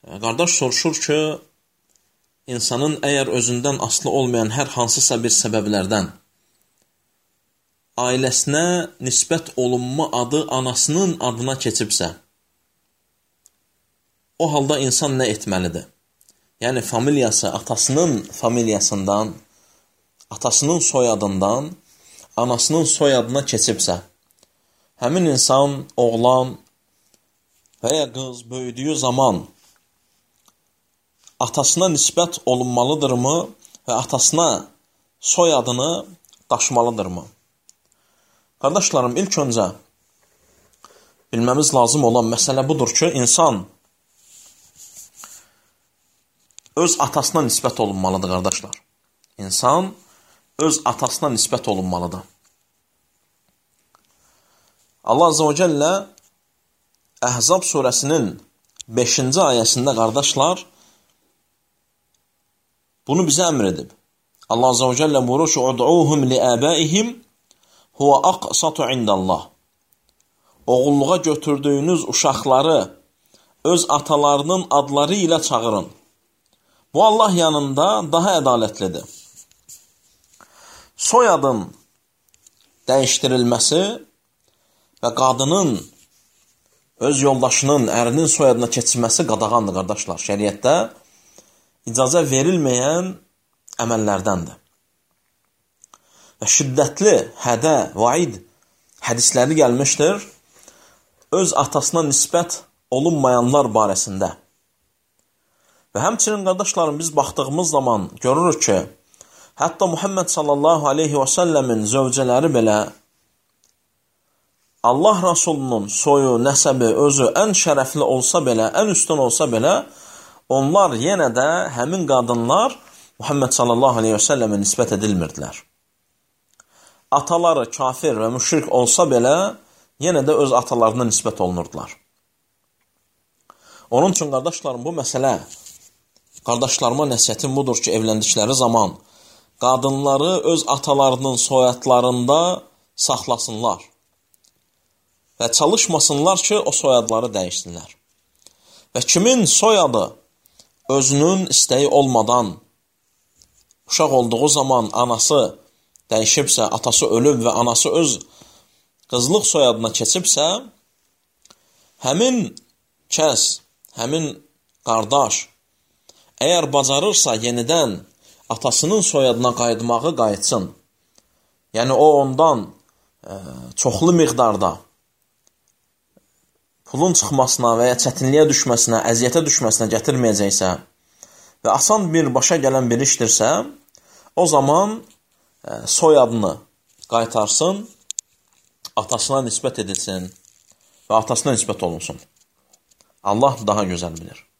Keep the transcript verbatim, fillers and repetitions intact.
Qardaş soruşur ki, insanın əgər özündən asılı olmayan hər hansısa bir səbəblərdən ailəsinə nisbət olunma adı anasının adına keçibsə, o halda insan nə etməlidir? Yəni, familiyası atasının familiyasından, atasının soyadından, anasının soyadına keçibsə, həmin insan, oğlan və ya qız böyüdüyü zaman atasına nisbət olunmalıdırmı və atasına soyadını daşımalıdırmı? Qardaşlarım, ilk öncə bilməmiz lazım olan məsələ budur ki, insan öz atasına nisbət olunmalıdır, qardaşlar. İnsan öz atasına nisbət olunmalıdır. Allah Azze və Cəllə Əhzab surəsinin beşinci ayəsində, qardaşlar, bunu bizə əmr edib. Allah Azze və Cəllə buyurur ki, "Ud'uhum li'abaihim huwa aqsatu indallah." Oğulluğa götürdüyünüz uşaqları öz atalarının adları ilə çağırın. Bu Allah yanında daha ədalətlidir. Soyadın dəyişdirilməsi və qadının öz yoldaşının, ərinin soyadına keçirməsi qadağandır, qardaşlar. Şəriətdə icazə verilməyən əməllərdəndir. Və şiddətli hədə, vaid hədisləri gəlmişdir öz atasına nisbət olunmayanlar barəsində. Və həmçinin, qardaşlarım, biz baxdığımız zaman görürük ki, hətta Muhammed sallallahu aleyhi və səlləmin zövcələri belə Allah Rasulunun soyu, nəsəbi, özü ən şərəfli olsa belə, ən üstün olsa belə, onlar yenə də həmin qadınlar Muhammed sallallahu aleyhi və səlləmə nisbət edilmirdilər. Ataları kafir və müşrik olsa belə, yenə də öz atalarına nisbət olunurdular. Onun üçün, qardaşlarım, bu məsələ, qardaşlarıma nəsiyyətim budur ki, evləndikləri zaman qadınları öz atalarının soyadlarında saxlasınlar və çalışmasınlar ki, o soyadları dəyişsinlər. Və kimin soyadı özünün istəyi olmadan uşaq olduğu zaman anası dəyişibsə, atası ölüb və anası öz qızlıq soyadına keçibsə, həmin kəs, həmin qardaş əgər bacarırsa yenidən atasının soyadına qayıtmağı qayıtsın. Yəni o ondan e, çoxlu miqdarda pulun çıxmasına və ya çətinliyə düşməsinə, əziyyətə düşməsinə gətirməyəcəksə və asan bir başa gələn bir işdirsə, o zaman e, soyadını qaytarsın, atasına nisbət edilsin və atasına nisbət olunsun. Allah daha gözəl bilir.